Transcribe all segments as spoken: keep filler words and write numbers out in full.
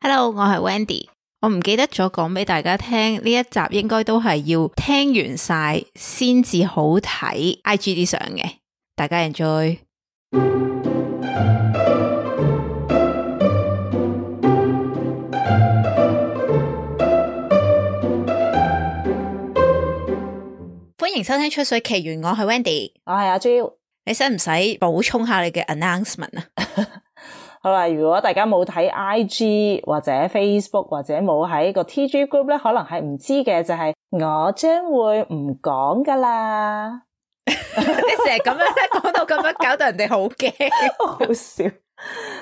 Hello， 我係 Wendy。我唔記得咗講俾大家聽，呢一集應該都係要聽完晒先至好睇 I G 啲相嘅。大家 enjoy。歡迎收聽出水奇緣，我係 Wendy， 我係阿 Jo。你使唔使補充下你嘅 announcement 啊？好啦，如果大家冇睇 I G 或者 Facebook 或者冇喺個 T G group 咧，可能係唔知嘅就係、是、我將會唔講噶啦。你成日咁樣咧，講到咁樣，搞到人哋好驚，好笑。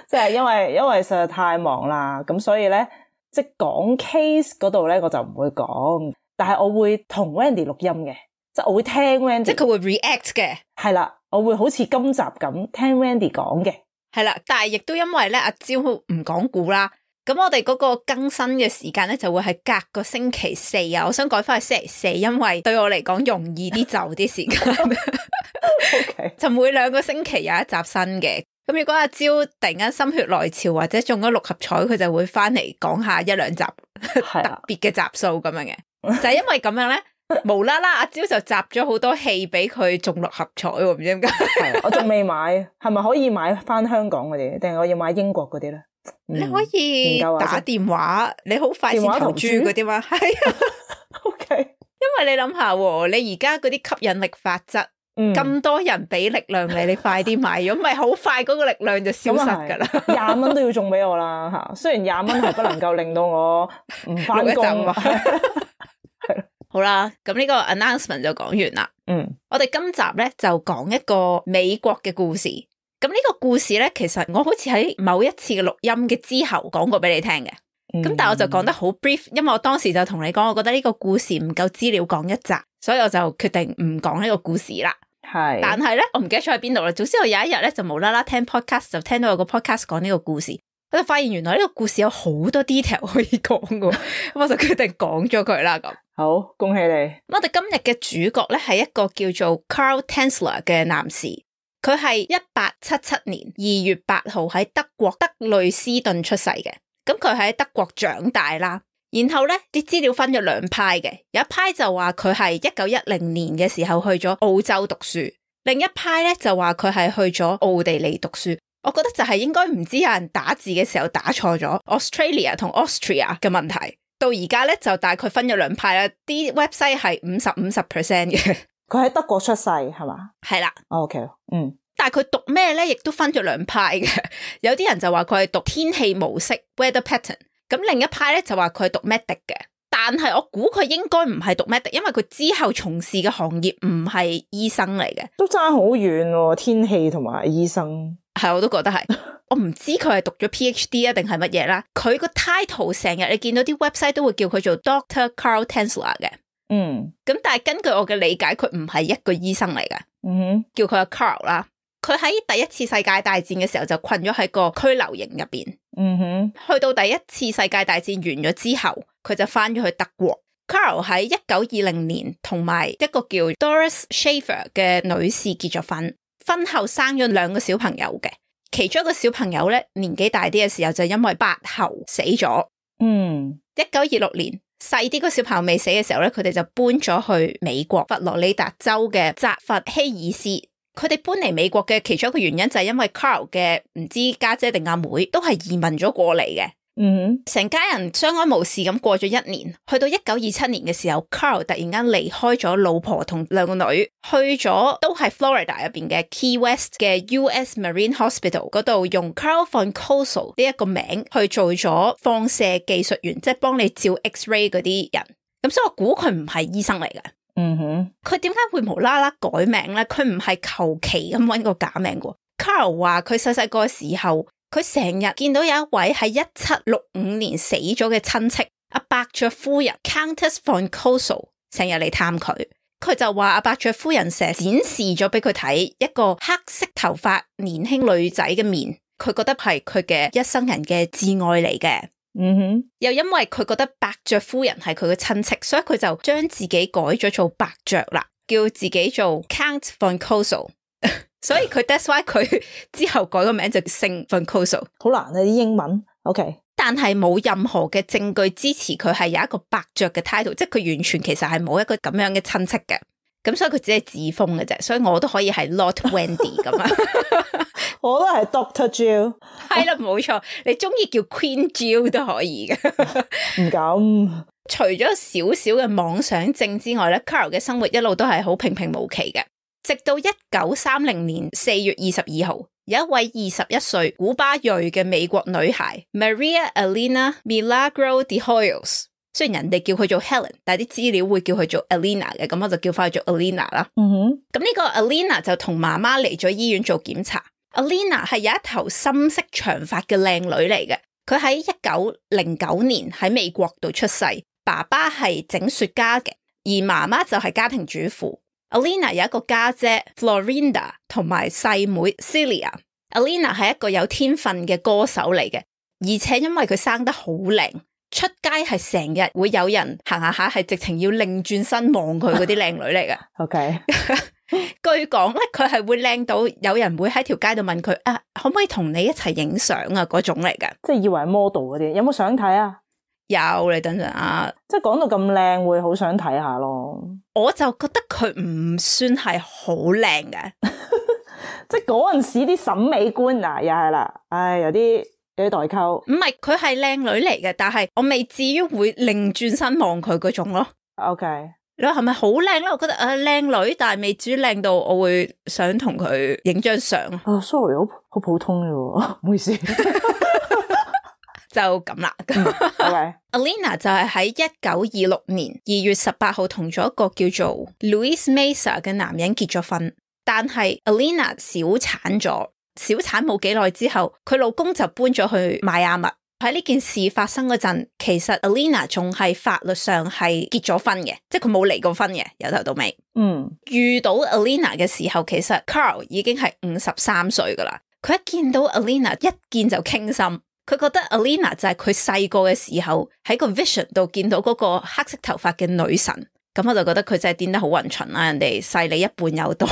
即係因為因為實在太忙啦，咁所以咧，即係講 case 嗰度咧，我就唔會講，但係我會同 Wendy 錄音嘅，即係我會聽 Wendy， 即係佢會 react 嘅。係啦，我會好似今集咁聽 Wendy 講嘅。係啦，但係亦都因為咧阿蕉唔講故啦，咁我哋嗰個更新嘅時間咧就會係隔個星期四啊，我想改翻去星期四，因為對我嚟講容易啲就啲時間。Okay. 就每兩個星期有一集新嘅，咁如果阿蕉突然間心血來潮或者中咗六合彩，佢就會翻嚟講下一兩集特別嘅集數咁樣嘅，就係因為咁樣咧。無啦啦，阿蕉就集咗好多戲俾佢中六合彩喎，唔知點解。係，我仲未買，係咪可以買翻香港嗰啲，定係我要買英國嗰啲咧？你可以打電話，你好快先投注嗰啲嘛？係啊，OK。因為你諗下，你而家嗰啲吸引力法則，咁、嗯、多人俾力量你，你快啲買，如果唔係好快嗰個力量就消失噶啦。廿蚊都要中俾我啦吓，雖然廿蚊係不能夠令到我唔翻工。係。好啦，咁呢個 announcement 就講完啦。嗯，我哋今集咧就講一個美國嘅故事。咁呢個故事咧，其實我好似喺某一次嘅錄音嘅之後講過俾你聽嘅。咁、嗯、但係我就講得好 brief，因為我當時就同你講，我覺得呢個故事唔夠資料講一集，所以我就決定唔講呢個故事啦。係，但係咧，我唔記得咗喺邊度啦。總之我有一日咧就無啦啦聽 podcast， 就聽到有個 podcast 講呢個故事。我就發現原來呢個故事有好多 detail 可以講嘅，咁我就決定講咗佢啦。咁好，恭喜你！咁我哋今日嘅主角咧係一個叫做 Carl Tanzler 嘅男士，佢係一八七七年二月八號喺德國德累斯頓出世嘅。咁佢喺德國長大啦，然後咧啲資料分咗兩派嘅，有一派就話佢係一九一零年嘅時候去咗澳洲讀書，另一派咧就話佢係去咗奧地利讀書。我覺得就係應該唔知有人打字嘅時候打錯咗 Australia 同 Austria 嘅問題，到而家咧就大概分咗兩派啦，啲 website 係五十五十 percent 嘅。佢喺德國出世係嘛？係啦。OK， 嗯。但係佢讀咩咧，亦都分咗兩派嘅。有啲人就話佢係讀天氣模式 weather pattern， 咁另一派咧就話佢係讀 medic 嘅。但係我估佢應該唔係讀 medic， 因為佢之後從事嘅行業唔係醫生嚟嘅。都爭好遠喎，天氣同埋醫生。係，我都覺得係。我唔知佢係讀咗 PhD 啊定係乜嘢啦。佢個 title 成日你見到啲 website 都會叫佢做 Doctor Carl Tanzler 嘅。嗯。咁但係根據我嘅理解，佢唔係一個醫生嚟嘅。嗯哼。叫佢阿 Carl 啦。佢喺第一次世界大戰嘅時候就困咗喺個拘留營入邊。嗯哼。去到第一次世界大戰完咗之後，佢就翻咗去德國。Carl 喺一九二零年同埋一個叫 Doris Schaefer 嘅女士結咗婚。婚後生咗兩個小朋友嘅，其中一個小朋友咧年紀大啲嘅時候就因為白喉死咗。嗯，一九二六年細啲個小朋友未死嘅時候咧，佢哋就搬咗去美國佛羅里達州嘅扎佛希爾斯。佢哋搬嚟美國嘅其中一個原因就係因為 Carl 嘅唔知家姐定阿妹都係移民咗過嚟嘅。嗯，成家人相安無事咁過咗一年，去到一九二七年嘅時候 Carl 突然間離開咗老婆同兩個女，去咗都係 Florida 入邊嘅 Key West 嘅 U S Marine Hospital 嗰度，用 Carl von Cosel 呢一個名去做咗放射技術員，即係幫你照 X-ray 嗰啲人。咁所以我估佢唔係醫生嚟嘅。嗯哼，佢點解會無啦啦改名咧？佢唔係求其咁搵個假名嘅。Carl 話佢細細個嘅時候，佢成日見到有一位喺一七六五年死咗嘅親戚阿伯爵夫人 Countess von Cosel 成日嚟探佢，佢就話阿伯爵夫人成日展示咗俾佢睇一個黑色頭髮年輕女仔嘅面，佢覺得係佢嘅一生人嘅摯愛嚟嘅。嗯哼，又因為佢覺得伯爵夫人係佢嘅親戚，所以佢就將自己改咗做伯爵啦，叫自己做 Count von Cosel。所以佢 that's why 佢之後改個名就姓 von Cosel。好難啊啲英文。OK。但係冇任何嘅證據支持佢係有一個伯爵嘅 title， 即係佢完全其實係冇一個咁樣嘅親戚嘅，咁所以佢只係自封嘅啫，所以我都可以係 Lord Wendy 咁啊。我都係 Doctor Jill， 係啦，冇錯，你中意叫 Queen Jill 都可以嘅。唔敢。除咗少少嘅妄想症之外咧 Carol 嘅生活一路都係好平平無奇嘅，直到一九三零年四月二十二號，有一位二十一歲古巴裔嘅美國女孩 Maria Elena Milagro de Hoyos， 雖然人哋叫佢做 Helen， 但係啲資料會叫佢做 Elena 嘅，咁我就叫翻佢做 Elena 啦。嗯哼，咁呢個 Elena 就同媽媽嚟咗醫院做檢查。Elena 係有一頭深色長髮嘅靚女嚟嘅，佢喺一九零九年喺美國度出世。爸爸係整雪茄嘅，而媽媽就係家庭主婦。Elena 有一個家姐 Florinda 同埋細妹 Celia。Elena 係一個有天分嘅歌手嚟嘅，而且因為佢生得好靚，出街係成日會有人行下下係直情要擰轉身望佢嗰啲靚女嚟嘅。OK， 據講咧，佢係會靚到有人會喺條街度問佢啊，可唔可以同你一齊影相啊？嗰種嚟嘅，即係以為 model 嗰啲，有冇相睇啊？有，你等陣啊！即係講到咁靚，會好想睇下咯。我就覺得佢唔算係好靚嘅，即係嗰陣時啲審美觀啊，又係啦，唉，有啲有啲代溝。唔係，佢係靚女嚟嘅，但係我未至於會擰轉身望佢嗰種咯。OK，你話係咪好靚咧？我覺得誒靚、呃、女，但係未至於靚到我會想同佢影張相。哦、oh，sorry， 好好普通嘅喎，唔好意思。就咁啦。嗯、okay. Elena 就係喺一九二六年二月十八號同咗一個叫做 Luis Mesa 嘅男人結咗婚，但係 Elena 小產咗，小產冇幾耐之後，佢老公就搬咗去邁阿密。喺呢件事發生嗰陣，其實 Elena 仲係法律上係結咗婚嘅，即係佢冇離過婚嘅，由頭到尾。嗯，遇到 Elena 嘅時候，其實 Carl 已經係五十三歲噶啦。佢一見到 Elena 一見就傾心。佢覺得 Elena 就係佢細個嘅時候喺個 vision 度見到嗰個黑色頭髮嘅女神，咁我就覺得佢真係癲得好勻循啦，人哋細你一半有多，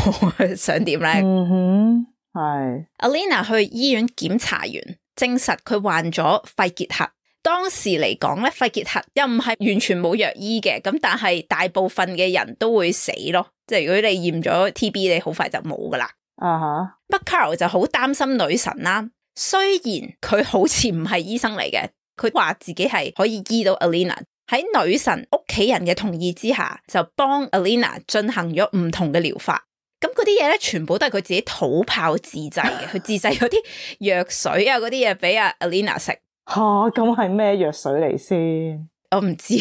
想點咧？嗯哼，係。Elena 去醫院檢查完，證實佢患咗肺結核。當時嚟講咧，肺結核又唔係完全冇藥醫嘅，咁但係大部分嘅人都會死咯，即係如果你驗咗 T B， 你好快就冇噶啦。啊哈。But Carl 就好擔心女神啦。雖然佢好似唔係醫生嚟嘅，佢話自己係可以醫到 Elena。喺女神屋企人嘅同意之下，就幫 Elena 進行咗唔同嘅療法。咁嗰啲嘢咧，全部都係佢自己土炮自製嘅，佢自製嗰啲藥水啊，嗰啲嘢俾阿 Elena 食。吓，咁係咩藥水嚟先？我唔知，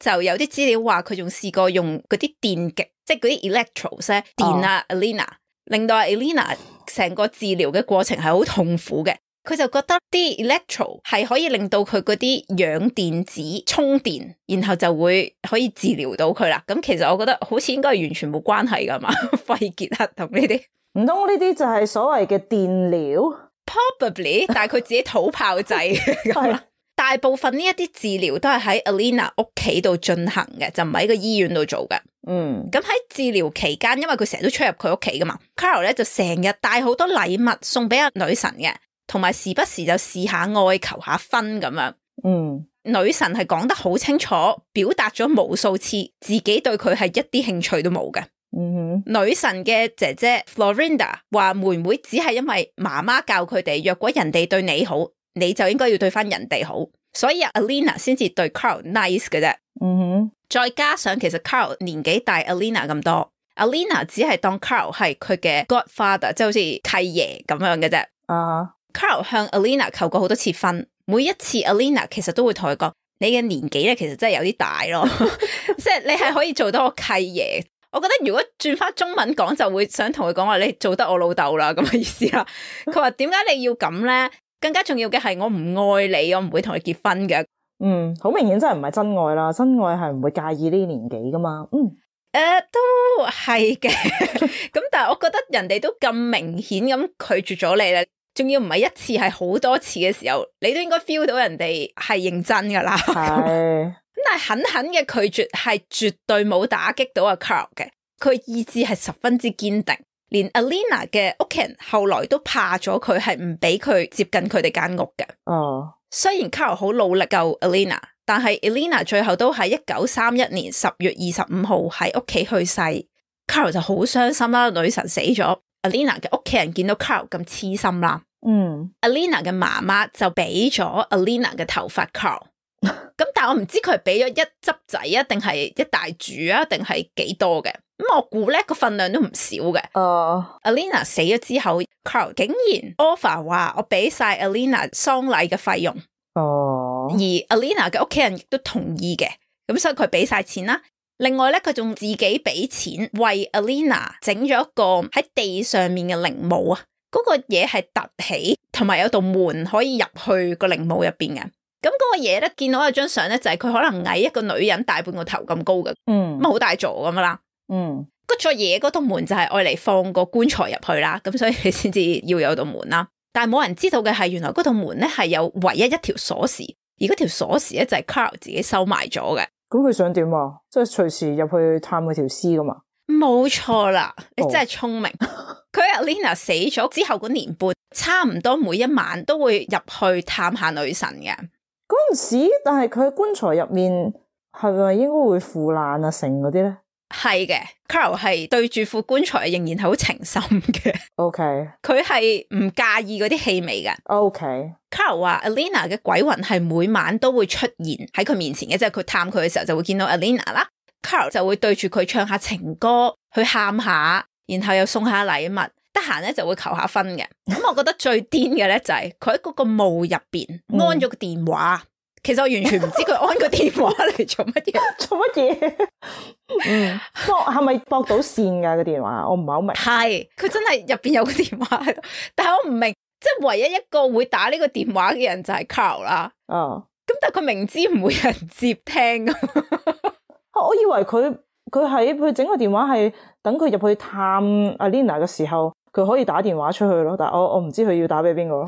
就有啲資料話佢仲試過用嗰啲電極，即係嗰啲 electrodes 咧電啊 Elena，令到阿 Elena 成個治療嘅過程係好痛苦嘅。佢就覺得啲 electro 係可以令到佢嗰啲氧電子充電，然後就會可以治療到佢啦。咁其實我覺得好似應該係完全冇關係噶嘛，肺結核同呢啲，唔通呢啲就係所謂嘅電療 ？Probably， 但係佢自己土炮製咁啦。大部分呢一啲治療都係喺 Elena 屋企度進行嘅，就唔係喺個醫院度做嘅。嗯，咁喺治療期間，因為佢成日都出入佢屋企噶嘛 ，Carl 咧就成日帶好多禮物送俾阿女神嘅。同埋時不時就試下愛求下婚咁樣，嗯，女神係講得好清楚，表達咗無數次自己對佢係一啲興趣都冇嘅。嗯哼，女神嘅姐姐 Florinda 話妹妹只係因為媽媽教佢哋，若果人哋對你好，你就應該要對翻人哋好，所以 Elena 先至對 Carl nice 嘅啫。嗯哼，再加上其實 Carl 年紀大 Elena 咁多 ，Elena 只係當 Carl 係佢嘅 godfather，即係好似契爺咁樣嘅啫。啊、uh-huh. Carl 向 Elena 求過好多次婚，每一次 Elena 其實都會同佢講：你嘅年紀咧，其實真係有啲大咯，即係你係可以做到我契爺。我覺得如果轉翻中文講，就會想同佢講話，你做得我老豆啦咁嘅意思啦。佢話點解你要咁咧？更加重要嘅係我唔愛你，我唔會同你結婚嘅。嗯，好明顯真係唔係真愛啦，真愛係唔會介意呢啲年紀噶嘛。嗯，誒、呃，都係嘅。咁但係我覺得人哋都咁明顯咁拒絕咗你咧。仲要唔係一次，係好多次嘅時候，你都應該 feel 到人哋係認真噶啦。係咁，但係狠狠嘅拒絕係絕對冇打擊到阿 Carl 嘅，佢意志係十分之堅定。連 Elena 嘅屋企人後來都怕咗佢，係唔俾佢接近佢哋間屋嘅。哦，雖然 Carol 好努力救 Alina， 但係 Alina 最後都喺一九三一年十月二十五號喺屋企去世。Carol 就好傷心啦，女神死咗。Alina 嘅屋企人見到 Carol 咁痴心啦，嗯 Alina 嘅媽媽就俾咗 Alina 嘅頭髮 Carol。咁但係我唔知佢係俾咗一執仔啊，定係一大柱啊，定係幾多嘅？咁我估咧個份量都唔少嘅。哦、uh, Alina 死咗之後 ，Carol 竟然 offer 話我俾晒 Alina 喪禮嘅費用。哦、uh, 而 Alina 嘅屋企人亦都同意嘅，咁所以佢俾晒錢啦。另外咧，佢仲自己俾錢為 Alina 整咗一個喺地上面嘅陵墓啊。嗰、那個嘢係凸起，同埋有道門可以入去個陵墓入邊嘅。咁嗰個嘢咧，見到有張相咧，就係佢可能矮一個女人大半個頭咁高嘅，嗯，咁好大座咁啦，嗯，嗰座嘢嗰道門就係愛嚟放個棺材入去啦，咁所以你先至要有道門啦。但係冇人知道嘅係，原來嗰道門咧係有唯一一條鎖匙，而嗰條鎖匙咧就係 Carol 自己收埋咗嘅。咁佢想點啊？即係隨時入去探嗰條屍噶嘛？冇錯啦，你真係聰明。佢、哦、Alina 死咗之後嗰年半，差唔多每一晚都會入去探下女神嘅。嗰陣時，但係佢喺棺材入面係咪應該會腐爛啊成嗰啲咧？係嘅 Carol 係對住副棺材仍然係好情深嘅。OK，佢係唔介意嗰啲氣味嘅。OK， Carol 話 Alina 嘅鬼魂係每晚都會出現喺佢面前嘅，即係佢探佢嘅時候就會見到 Alina 啦。Carol 就會對住佢唱下情歌，去喊下，然後又送下禮物，得閒咧就會求下婚嘅。咁我覺得最癲嘅咧就係佢喺嗰個墓入邊安咗個電話。嗯、其實我完全唔知佢安個電話嚟做乜嘢，做乜嘢？嗯，駁係咪駁到線噶個電話？我唔係好明。係，佢真係入邊有個電話喺度，但係我唔明，即係唯一一個會打呢個電話嘅人就係 Carol 啦。哦，咁但係佢明知唔會有人接聽噶。我以為佢佢喺佢整個電話係等佢入去探 Alina 嘅時候，佢可以打電話出去咯。但係我我唔知佢要打俾邊個咯。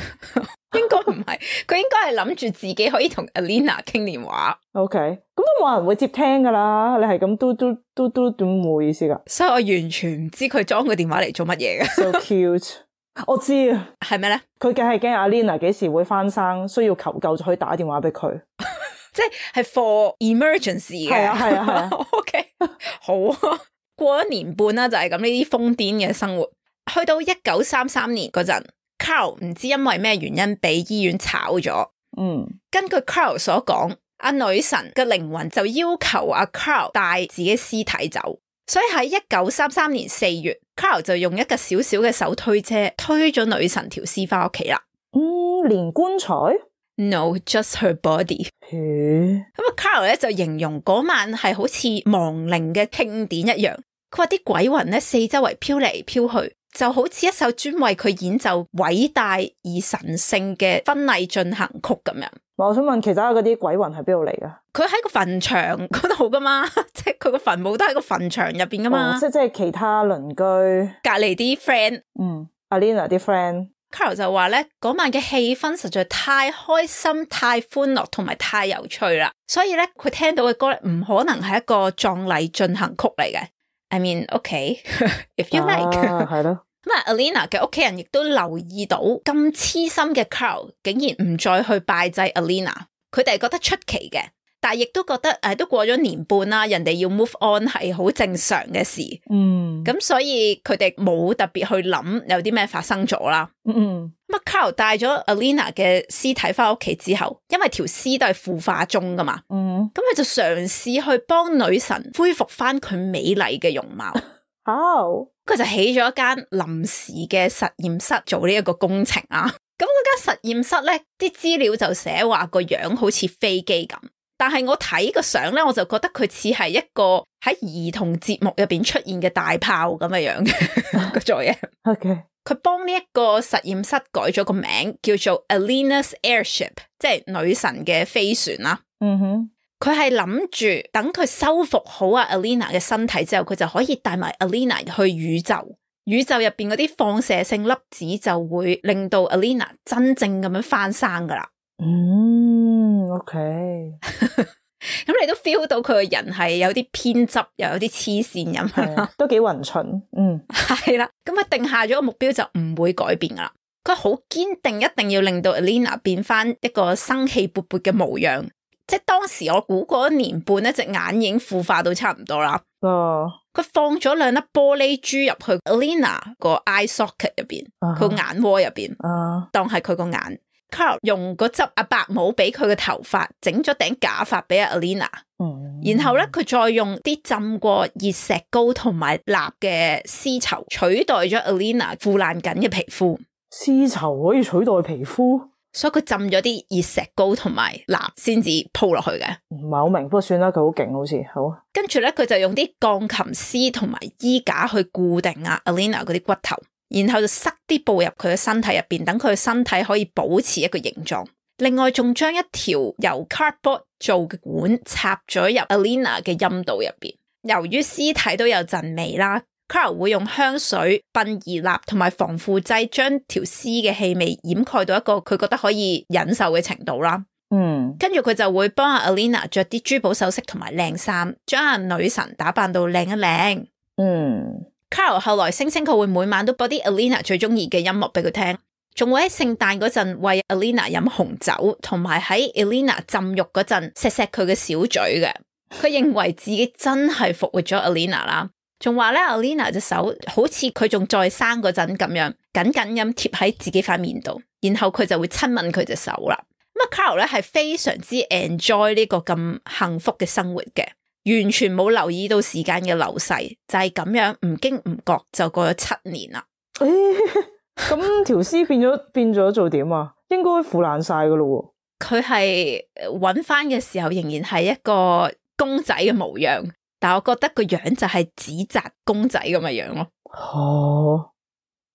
應該唔係，佢應該係諗住自己可以同 Alina 傾電話。OK，咁都冇人會接聽噶啦。你係咁嘟嘟嘟嘟點冇意思噶？所以我完全唔知佢裝個電話嚟做乜嘢嘅。So cute， 我知啊，係咩咧？佢梗係驚 Alina 幾時會翻生，需要求救就可以打電話俾佢。即係 for emergency 嘅。係啊係啊係啊。OK， 好啊。過咗年半啦，就係咁呢啲瘋癲嘅生活。去到一九三三年嗰陣 ，Carol 唔知因為咩原因俾醫院炒咗。嗯，根據 Carol 所講，阿女神嘅靈魂就要求阿 Carol 帶自己屍體走，所以喺一九三三年四月 ，Carol 就用一個小小嘅手推車推咗女神條屍翻屋企啦。嗯，連棺材 ？No, just her body。咁啊 ，Carol 咧就形容嗰晚係好似亡靈嘅慶典一樣。佢話啲鬼魂咧四周圍飄嚟飄去，就好似一首專為佢演奏偉大而神聖嘅婚禮進行曲咁樣。我想問，其他嗰啲鬼魂係邊度嚟噶？佢喺個墳場嗰度噶嘛，即係佢個墳墓都喺個墳場入邊噶嘛。哦、即係即係其他鄰居隔籬啲 friend， 嗯 ，Alina 啲 friend。Carol 就話咧，嗰晚嘅氣氛實在太開心、太歡樂同埋太有趣啦，所以咧佢聽到嘅歌咧唔可能係一個葬禮進行曲嚟嘅。I mean, okay, if you like。係咯。咁啊 ，Alina 嘅屋企人亦都留意到咁痴心嘅 Carol 竟然唔再去拜祭 Alina， 佢哋覺得出奇嘅，但係亦都覺得誒都過咗年半啦，人哋要 move on 係好正常嘅事。嗯，咁所以佢哋冇特別去諗有啲咩發生咗啦。嗯嗯。咁啊 ，Carol 帶咗 Alina 嘅屍體翻屋企之後，因為條屍都係腐化中噶嘛。嗯。咁佢就嘗試去幫女神恢復翻佢美麗嘅容貌。好。佢就起咗一間臨時嘅實驗室做呢一個工程啊。咁嗰間實驗室咧，啲資料就寫話個樣好似飛機咁，但係我睇個相咧，我就覺得佢似係一個喺兒童節目入邊出現嘅大炮咁嘅樣嘅個做嘢。OK， 佢幫呢一個實驗室改咗個名，叫做 Alina's Airship， 即係女神嘅飛船啦。嗯哼。佢係諗住等佢修復好阿 Alina 嘅身體之後，佢就可以帶埋 Alina 去宇宙。宇宙入邊嗰啲放射性粒子就會令到 Alina 真正咁樣翻生噶啦。嗯 ，OK。咁你都 feel 到佢個人係有啲偏執，又有啲黐線咁樣，都幾勻循。嗯，係啦。咁佢定下咗個目標就唔會改變噶啦。佢好堅定一定要令到 Alina 變翻一個生氣勃勃嘅模樣。即係當時我估過一年半咧，隻眼已經腐化到差唔多啦。哦，佢放咗兩粒玻璃珠入去 Alina 個 eye socket 入邊，佢、uh-huh. 眼窩入邊，uh-huh. 當係佢個眼。Carl 用嗰執阿白帽俾佢嘅頭髮，整咗頂假髮俾阿 Alina。嗯，然後咧佢再用啲浸過熱石膏同埋蠟嘅絲綢取代咗 Alina 腐爛緊嘅皮膚。絲綢可以取代皮膚？所以佢浸咗啲熱石膏同埋蠟先至鋪落去嘅，唔係好明，不過算啦，佢好勁好似好。跟住咧，佢就用啲鋼琴絲同埋衣架去固定啊 Alina 嗰啲骨頭，然後就塞啲布入佢嘅身體入邊，等佢嘅身體可以保持一個形狀。另外仲將一條由 cardboard 做嘅管插咗入 Alina 嘅陰道入邊。由於屍體都有陣味啦，Carl 會用香水、殯儀蠟同埋防腐劑將條屍嘅氣味掩蓋到一個佢覺得可以忍受嘅程度啦。嗯，跟住佢就會幫阿 Alina 着啲珠寶首飾同埋靚衫，將阿女神打扮到靚一靚。嗯 ，Carl 後來聲稱佢會每晚都播啲 Alina 最中意嘅音樂俾佢聽，仲會喺聖誕嗰陣為 Alina 飲紅酒，同埋喺 Alina 浸浴嗰陣錫錫佢嘅小嘴嘅。佢認為自己真係復活咗 Alina 啦。仲話咧 Alina 隻手好似佢仲在生嗰陣咁樣緊緊咁貼喺自己塊面度，然後佢就會親吻佢隻手啦。咁啊 Carl 咧係非常之 enjoy 呢個咁幸福嘅生活嘅，完全冇留意到時間嘅流逝，就係咁樣唔經唔覺就過咗七年啦。誒，咁條屍變咗變咗做點啊？應該腐爛晒噶咯。佢係揾翻嘅時候仍然係一個公仔嘅模樣。但我覺得個樣就係紙紮公仔咁嘅樣咯。哦，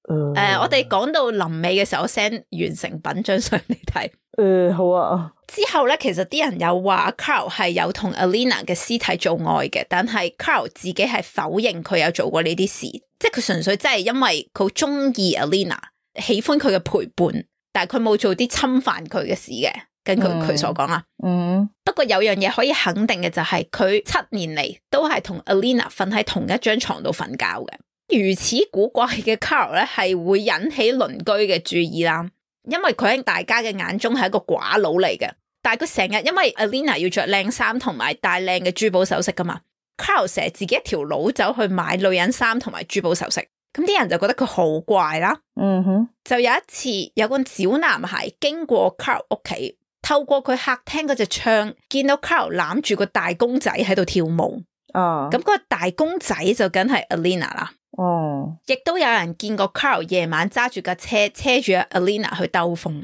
誒、呃，我哋講到臨尾嘅時候 ，send 完成品張相你睇。誒、呃，好啊。之後咧，其實啲人有話 Carl 係有同 Alina 嘅屍體做愛嘅，但係 Carl 自己係否認佢有做過呢啲事，即係佢純粹真係因為佢好中意 Alina， 喜歡佢嘅陪伴，但係佢冇做啲侵犯佢嘅事嘅。根據佢所講啦，嗯，不過有樣嘢可以肯定嘅就係佢七年嚟都係同 Alina 瞓喺同一張床度瞓覺嘅。如此古怪嘅 Carl 咧，係會引起鄰居嘅注意啦，因為佢喺大家嘅眼中係一個寡佬嚟嘅。但係佢成日因為 Alina 要着靚衫同埋戴靚嘅珠寶首飾噶嘛 ，Carl 成日自己一條佬走去買女人衫同埋珠寶首飾，咁啲人就覺得佢好怪啦。嗯哼，就有一次有個小男孩經過 Carl 屋企。透過佢客廳嗰隻窗，見到 Carl 攬住個大公仔喺度跳舞。哦，咁嗰個大公仔就梗係 Alina 啦。哦，亦都有人見過 Carl 夜晚揸住架車，車住 Alina 去兜風。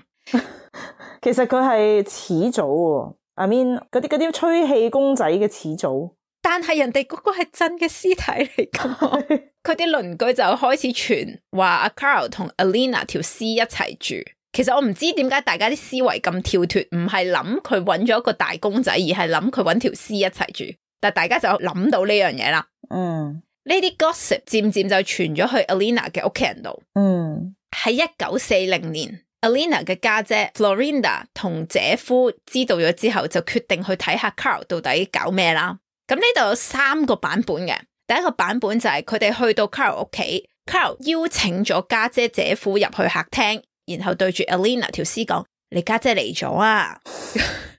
其實佢係始祖喎 ，I mean 嗰啲嗰啲吹氣公仔嘅始祖。但係人哋嗰個係真嘅屍體嚟噶嘛？佢啲鄰居就開始傳話阿 Carl 同 Alina 條屍一齊住。其實我唔知點解大家啲思維咁跳脫，唔係諗佢揾咗一個大公仔，而係諗佢揾條屍一齊住。但大家就諗到呢樣嘢啦。嗯，呢啲 gossip 漸漸就傳咗去 Alina 嘅屋企人度。嗯，喺一九四零年 ，Alina 嘅家姐 Florinda 同姐夫知道咗之後，就決定去睇下 Carl 到底搞咩啦。咁呢度有三個版本嘅。第一個版本就係佢哋去到 Carl 屋企 ，Carl 邀請咗家姐姐夫入去客廳。然後對住 Alina 條屍講：你家姐嚟咗啊！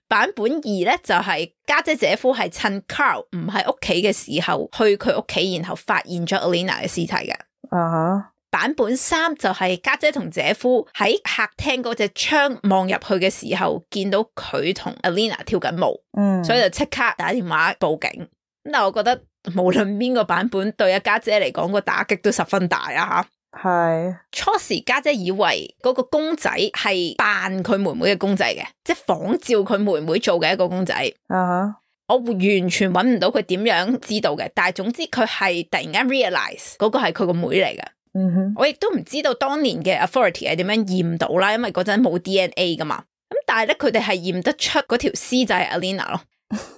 版本二咧就係家姐姐夫係趁 Carl 唔喺屋企嘅時候去佢屋企，然後發現咗 Alina 嘅屍體嘅。啊哈！版本三就係家姐同姐夫喺客廳嗰隻窗望入去嘅時候，見到佢同 Alina 跳緊舞，嗯，所以就即刻打電話報警。咁但係我覺得無論邊個版本對阿家姐嚟講個打擊都十分大啊！係初時家姐以為嗰個公仔係扮佢妹妹嘅公仔嘅，即係仿照佢妹妹做嘅一個公仔。啊、uh-huh. 我完全揾唔到佢點樣知道嘅，但係總之佢係突然間 realize 嗰個係佢個妹嚟嘅。嗯哼，我亦都唔知道當年嘅 authority 係點樣驗到啦，因為嗰陣冇 D N A 噶嘛。咁但係咧，佢哋係驗得出嗰條屍就係 Alina 咯。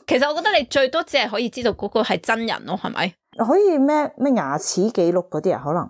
其實我覺得你最多只係可以知道嗰個係真人咯，係咪？可以咩咩牙齒記錄嗰啲啊？可能。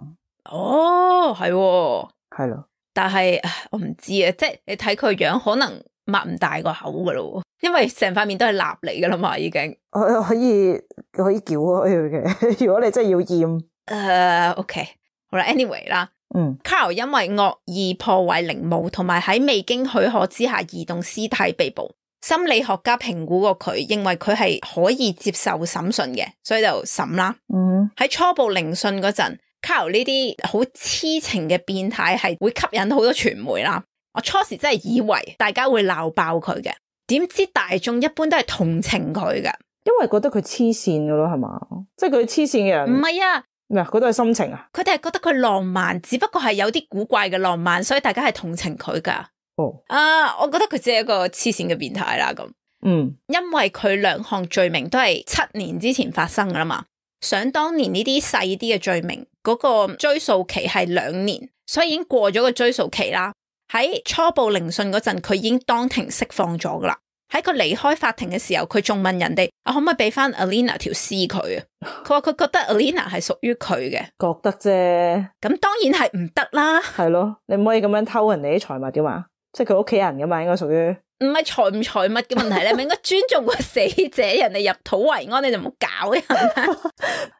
哦，係喎，係咯，但係我唔知啊，即係你睇佢樣，可能擘唔大個口噶咯，因為成塊面都係蠟嚟噶啦嘛，已經。可可以可以撬開佢嘅，如果你真係要驗。誒、uh, ，OK， 好啦 ，anyway 啦，嗯 Carl 因為惡意破壞陵墓同埋喺未經許可之下移動屍體被捕。心理學家評估過佢，認為佢係可以接受審訊嘅，所以就審啦。嗯，喺初步聆訊嗰陣 Carl 呢啲好痴情嘅變態係會吸引好多傳媒啦。我初時真係以為大家會鬧爆佢嘅，點知大眾一般都係同情佢嘅，因為覺得佢黐線噶咯，係嘛？即係佢黐線嘅人。唔係啊，咩啊？嗰都係心情啊？佢哋係覺得佢浪漫，只不過係有啲古怪嘅浪漫，所以大家係同情佢噶。哦，啊，我覺得佢只係一個黐線嘅變態啦咁。嗯，因為佢兩項罪名都係七年之前發生噶啦嘛，想當年呢啲細啲嘅罪名，嗰、個追訴期係兩年，所以已經過咗個追訴期啦。喺初步聆訊嗰陣，佢已經當庭釋放咗噶啦。喺佢離開法庭嘅時候，佢仲問人哋：啊，可唔可以俾翻 Alina 條屍佢啊？佢話佢覺得 Alina 係屬於佢嘅，覺得啫。咁當然係唔得啦。係咯，你唔可以咁樣偷人哋啲財物噶嘛，即係佢屋企人噶嘛，應該屬於。唔係財唔財物嘅問題，你咪應該尊重個死者，人哋入土為安，你就唔好搞人啦。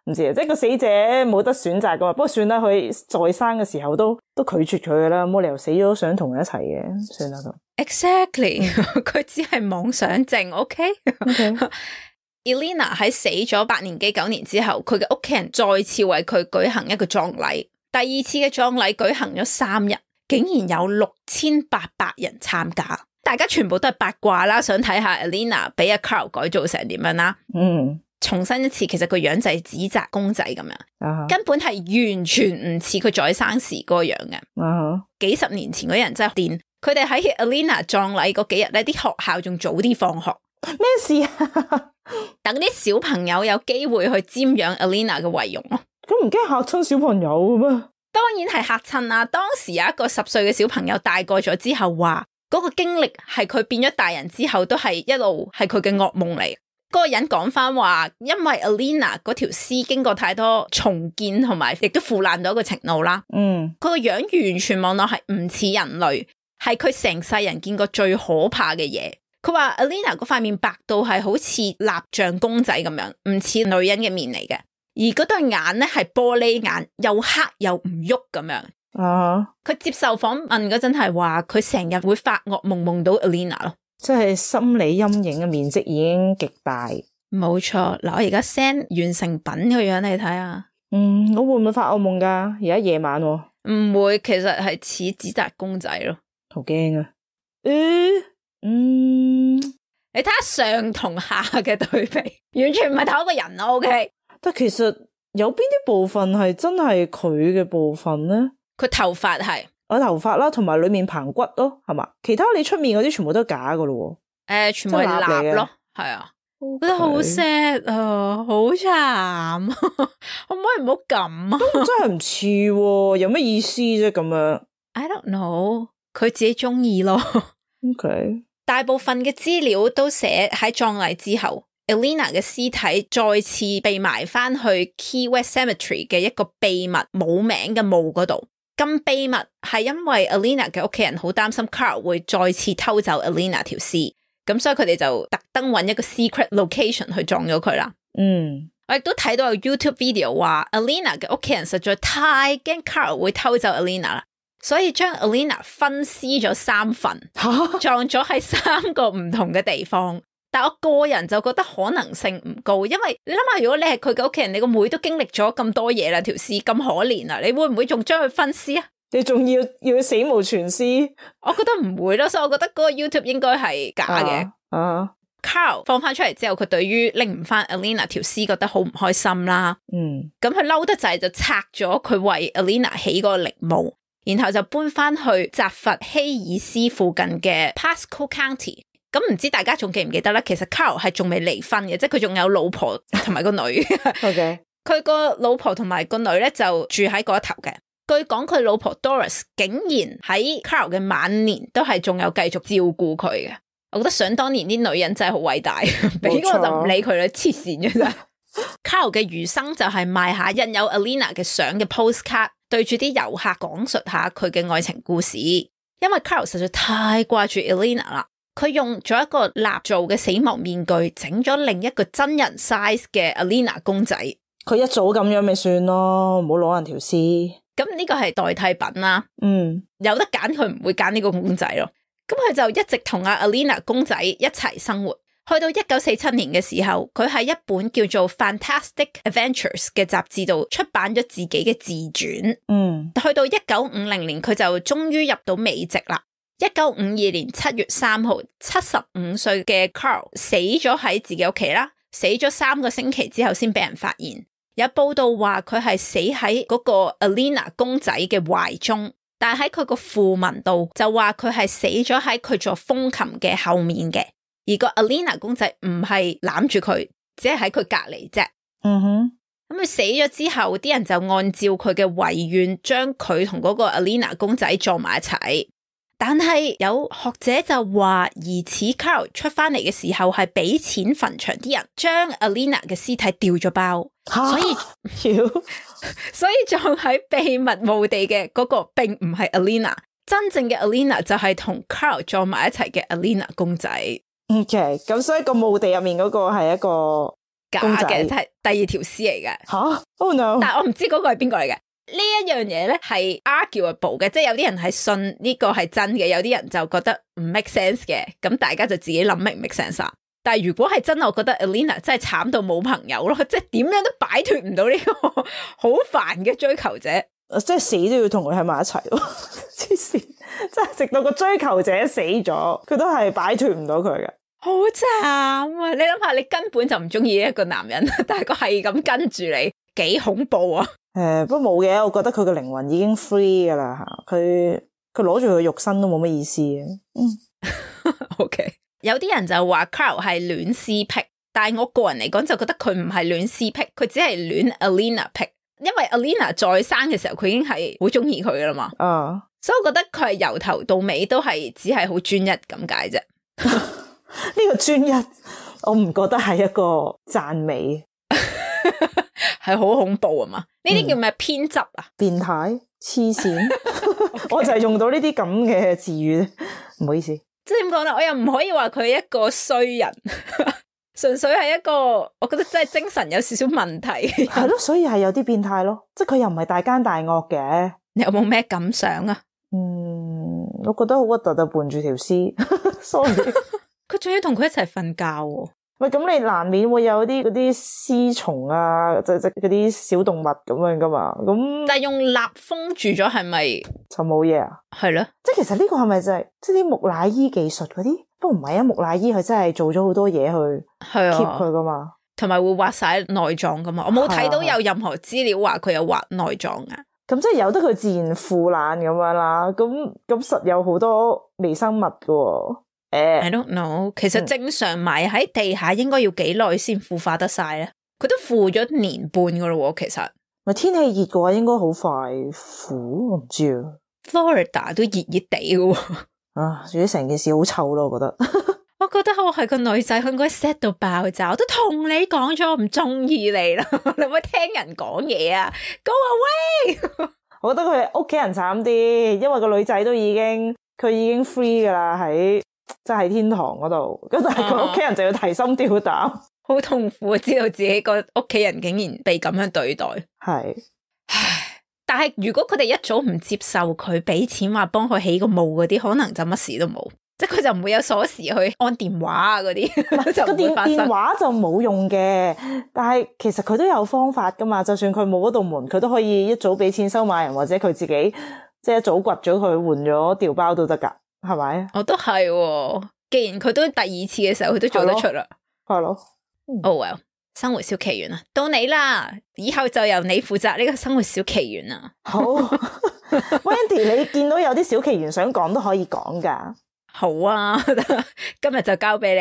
唔知啊，即係個死者冇得選擇噶嘛。不過算啦，佢在生嘅時候都都拒絕佢噶啦，冇理由死咗都想同佢一齊嘅，算啦咁。Exactly，佢只係妄想症。OK，Elena、okay? Okay. 喺死咗八年幾九年之後，佢嘅屋企人再次為佢舉行一個葬禮。第二次嘅葬禮舉行咗三日，竟然有六千八百人參加。大家全部都係八卦啦，想睇下 Alina 俾阿 Carl 改造成點樣啦。嗯，重申一次，其實個樣就係紙紮公仔咁樣，啊、根本係完全唔似佢在生時嗰個樣嘅。啊、幾十年前嗰啲人真係癲，佢哋喺 Alina 葬禮嗰幾日咧，啲學校仲早啲放學。咩事啊？等啲小朋友有機會去瞻仰 Alina 嘅遺容咯。咁唔驚嚇親小朋友嘅咩？當然係嚇親啦。當時有一個十歲嘅小朋友大個咗之後話，嗰個經歷係佢變咗大人之後都係一路係佢嘅噩夢嚟。嗰個人講翻話，因為 Alina 嗰條屍經過太多重建同埋亦都腐爛到一個程度啦。嗯，佢個樣完全望落係唔似人類，係佢成世人見過最可怕嘅嘢。佢話 Alina 嗰塊面白到係好似蠟像公仔咁樣，唔似女人嘅面嚟嘅。而嗰對眼咧係玻璃眼，又黑又唔喐咁樣。啊！佢接受訪問嗰陣係話，佢成日會發噩夢夢到 Alina 咯，即係心理陰影嘅面積已經極大。冇錯。嗱，我而家 send 完成品個樣你睇下。嗯，我會唔會發噩夢噶？而家夜晚，唔會，其實係似紙紮公仔咯。好驚啊！嗯嗯，你睇下上同下嘅對比，完全唔係同一個人咯。OK，但其實有邊啲部分係真係佢嘅部分咧？佢頭髮係我頭髮啦，同埋裏面棚骨咯，係嘛？其他你出面嗰啲全部都係假噶咯。誒、呃，全部係蠟咯，係啊，我覺得好 sad 啊，好慘，可唔可以唔好咁啊？真係唔似，有咩意思啫？咁樣 I don't know， 佢自己中意咯。OK，大部分嘅資料都寫喺葬禮之後 ，Alina 嘅屍體再次被埋翻去 Key West Cemetery 嘅一個秘密冇名嘅墓嗰度。咁秘密係因為 Alina 嘅屋企人好擔心 Carl 會再次偷走 Alina 條屍，咁所以佢哋就特登揾一個 secret location 去葬咗佢啦。嗯，我亦都睇到有 YouTube video 話 Alina 嘅屋企人實在太驚 Carl 會偷走 Alina 啦，所以將 Alina 分屍咗三份，葬咗喺三個唔同嘅地方。但我個人就覺得可能性唔高，因為你諗下，如果你係佢嘅屋企人，你個妹都經歷咗咁多嘢啦，條屍咁可憐啊，你會唔會仲將佢分屍啊？你仲要要死無全屍？我覺得唔會咯，所以我覺得嗰個 YouTube 應該係假嘅。啊，啊 Carl 放翻出嚟之後，佢對於拎唔翻 Alina 條屍覺得好唔開心啦。嗯，咁佢嬲得滯就拆咗佢為 Alina 起個陵墓，然後就搬翻去扎佛希爾斯附近嘅 Pasco County。咁唔知大家仲記唔記得咧？其實 Carl 係仲未離婚嘅，即係佢仲有老婆同埋個女。OK，佢個老婆同埋個女咧就住喺嗰一頭嘅。據講佢老婆 Doris 竟然喺 Carl 嘅晚年都係仲有繼續照顧佢嘅。我覺得想當年啲女人真係好偉大，俾我就唔理佢啦，黐線嘅啫。Carl 嘅餘生就係賣下印有 Alina 嘅相嘅 postcard， 對住啲遊客講述下佢嘅愛情故事。因為 Carl 實在太掛住 Alina 啦。佢用咗一個蠟做嘅死亡面具，整咗另一個真人 size 嘅 Alina 公仔。佢一早咁樣咪算咯，唔好攞人條屍。咁呢個係代替品啦。嗯，有得揀佢唔會揀呢個公仔咯。咁佢就一直同阿 Alina 公仔一齊生活。去到一九四七年嘅時候，佢喺一本叫做 Fantastic Adventures 嘅雜誌度出版咗自己嘅自傳。嗯，去到一九五零年，佢就終於入到美籍啦。一九五二年七月三號，七十五歲嘅 Carl 死咗喺自己屋企啦，死咗三個星期之後先俾人發現。有報道話佢係死喺嗰個 Alina 公仔嘅懷中，但係喺佢個訃聞度就話佢係死咗喺佢座風琴嘅後面嘅。而個 Alina 公仔唔係攬住佢，只係喺佢隔籬啫。嗯哼，咁佢死咗之後，啲人就按照佢嘅遺願，將佢同嗰個 Alina 公仔撞埋一齊。但係有學者就話，疑似 Carl 出翻嚟嘅時候係俾錢墳場啲人將 Alina 嘅屍體掉咗包，所以所以葬喺秘密墓地嘅嗰個並唔係 Alina， 真正嘅 Alina 就係同 Carl 撞埋一齊嘅 Alina 公仔。OK， 咁所以個墓地入面嗰個係一個假嘅，係第二條屍嚟嘅。吓 ？Oh no！ 但係我唔知嗰個係邊個嚟嘅。呢一樣嘢咧係 arguable 嘅，即係有啲人係信呢個係真嘅，有啲人就覺得唔 make sense 嘅。咁大家就自己諗 make 唔 make sense 啊。但係如果係真，我覺得 Alina 真係慘到冇朋友咯，即係點樣都擺脫唔到呢個好煩嘅追求者，即係死都要同佢喺埋一齊咯。黐線，即係直到個追求者死咗，佢都係擺脫唔到佢嘅。好慘啊！你諗下，你根本就唔中意一個男人，但係佢係咁跟住你，幾恐怖啊！誒、呃，不過冇嘅，我覺得佢個靈魂已經 free 噶啦吓，佢佢攞住佢肉身都冇乜意思嘅。嗯，OK。有啲人就話 Carl 係戀屍癖，但係我個人嚟講就覺得佢唔係戀屍癖，佢只係戀 Alina 癖，因為 Alina 在生嘅時候佢已經係好中意佢噶啦嘛。啊，所以我覺得佢係由頭到尾都係只係好專一咁解啫。呢個專一，我唔覺得係一個讚美，係好恐怖啊嘛！呢啲叫咩偏執啊？變態、黐線，我就係用到呢啲咁嘅字語，唔好意思。即係點講咧？我又唔可以話佢係一個衰人，純粹係一個，我覺得真係精神有少少問題。係咯，所以係有啲變態咯，即係佢又唔係大奸大惡嘅。你有冇咩感想啊？嗯，我覺得好核突就伴住條屍，sorry。佢仲要同佢一齊瞓覺喎。喂，咁你難免會有啲嗰啲屍蟲啊，即即嗰啲小動物咁樣噶嘛？咁但係用蠟封住咗係咪就冇嘢啊？係咯，即係其實呢個係咪就係即係啲木乃伊技術嗰啲？不過唔係啊，木乃伊佢真係做咗好多嘢去 keep 佢噶嘛，同埋會挖晒內臟噶嘛。我冇睇到有任何資料話佢有挖內臟啊。咁即係由得佢自然腐爛咁樣啦。咁咁實有好多微生物噶喎。誒、uh, ，I don't know。其實正常埋喺地下應該要幾耐先腐化得晒咧？佢都腐咗年半噶咯喎，其實。咪天氣熱嘅話，應該好快腐，我唔知啊。Florida 都熱熱地噶喎。啊，總之成件事好臭咯，我覺得。我覺得我係個女仔，佢應該 set 到爆炸。我都同你講咗，我唔中意你啦。你唔好聽人講嘢啊 ！Go away！ 我覺得佢屋企人慘啲，因為個女仔都已經佢已經 free 噶啦喺。即係天堂嗰度，咁但係佢屋企人就要提心吊膽，好、啊、痛苦啊！知道自己個屋企人竟然被咁樣對待，係。唉，但係如果佢哋一早唔接受佢俾錢話幫佢起個墓嗰啲，可能就乜事都冇，即係佢就唔會有鎖匙去按電話啊嗰啲，就唔會發生。電話就冇用嘅，但係其實佢都有方法噶嘛。就算佢冇嗰道門，佢都可以一早俾錢收買人，或者佢自己即係一早掘咗佢換咗調包都得噶。係咪？我都係、哦，既然佢都第二次嘅時候，佢都做得出啦。係咯。Oh well，生活小奇緣啊，到你啦，以後就由你負責呢個生活小奇緣啊。好，Wendy，你見到有啲小奇緣想講都可以講噶。好啊，今日就交俾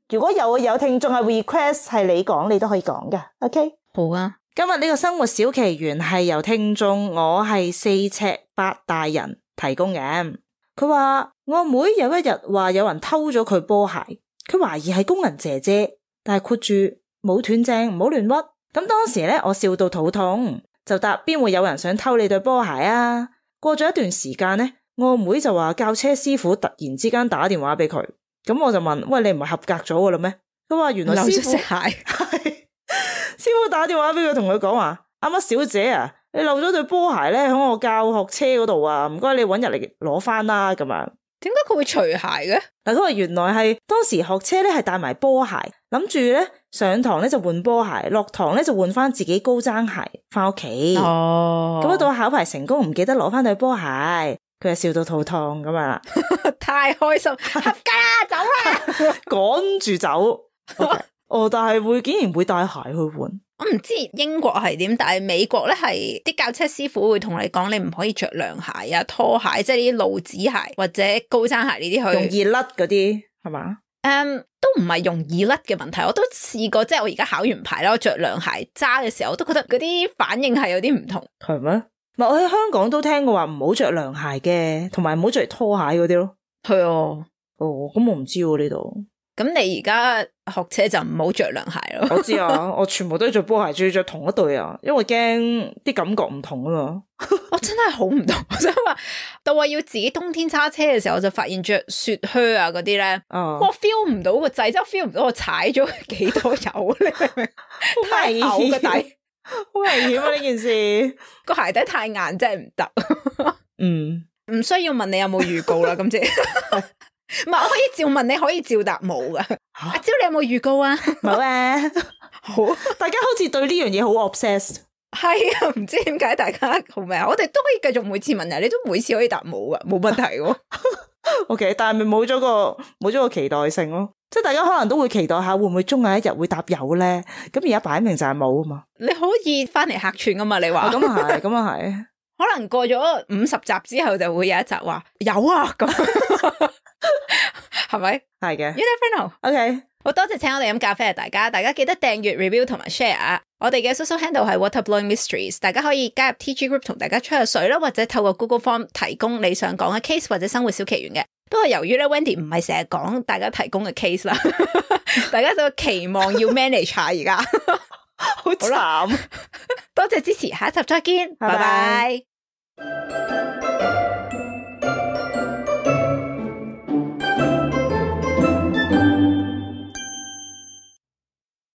你。如果有有聽眾係 request 係你講，你都可以講噶。OK，好啊。今日呢個生活小奇緣係由聽眾我係四尺八大人提供嘅。佢話我阿妹有一日話有人偷咗佢波鞋，佢懷疑係工人姐姐，但係括住冇斷正，唔好亂屈。咁當時咧，我笑到肚痛，就答邊會有人想偷你對波鞋啊？過咗一段時間咧，我阿妹就話教車師傅突然之間打電話俾佢，咁我就問：喂，你唔係合格咗噶啦咩？佢話原來師傅係師傅打電話俾佢，同佢講話：阿乜小姐啊，你漏咗對波鞋咧喺我教學車嗰度啊，唔該你搵日嚟攞翻啦咁樣。點解佢會除鞋嘅？嗱，佢話原來係當時學車咧係帶埋波鞋，諗住咧上堂咧就換波鞋，落堂咧就換翻自己高踭鞋翻屋企。哦，咁到考牌成功，唔記得攞翻對波鞋，佢就笑到肚痛咁啊！太開心，合格啦，走啦，趕住走。Okay. 哦，但係會竟然會帶鞋去換。我唔知英國係點，但係美國咧係啲教車師傅會同你講，你唔可以着涼鞋啊、拖鞋，即係呢啲露趾鞋或者高踭鞋呢啲去容易甩嗰啲係嘛？誒、um, 都唔係容易甩嘅問題，我都試過，即係我而家考完牌啦，我着涼鞋揸嘅時候，我都覺得嗰啲反應係有啲唔同。係咩？唔係我喺香港都聽過話唔好着涼鞋嘅，同埋唔好着拖鞋嗰啲咯。係啊，哦，咁我唔知喎呢度。咁你而家學車就唔好着涼鞋咯。我知啊，我全部都着波鞋，仲要着同一對啊，因為驚啲感覺唔同啊嘛。我真係好唔同，我想話到話要自己冬天揸車嘅時候，我就發現着雪靴啊嗰啲咧，哦、我 feel 唔到個掣，即係 feel 唔到我踩咗幾多油，你明唔明？太厚個底，好危險啊！呢件事個鞋底太硬，真係唔得。嗯，唔需要問你有冇預告啦，今次。唔係，我可以照問，你可以照答冇噶。阿蕉，你有冇預告啊？冇啊。好，大家好似對呢樣嘢好 obsessed。係啊，唔知點解大家好咩啊？我哋都可以繼續每次問人，你都每次可以答冇噶，冇問題喎。OK， 但係咪冇咗個冇咗個期待性咯？即係大家可能都會期待下會唔會終有一日會答有咧？咁而家擺明就係冇啊嘛。你可以翻嚟客串噶嘛？你話咁啊係，咁啊係。可能過咗五十集之後就會有一集話有啊咁，係咪？係嘅。You never know。OK，好多謝請我哋飲咖啡啊！大家，大家記得訂閱、review 同埋 share 啊！我哋嘅 social handle 係 Waterblowing Mysteries， 大家可以加入 T G group 同大家吹下水啦，或者透過 Google Form 提供你想講嘅 case 或者生活小奇緣嘅。不過由於咧 Wendy 唔係成日講大家提供嘅 case 啦，大家就期望要 manage 下而家，好慘。多謝支持，下一集再見，拜拜。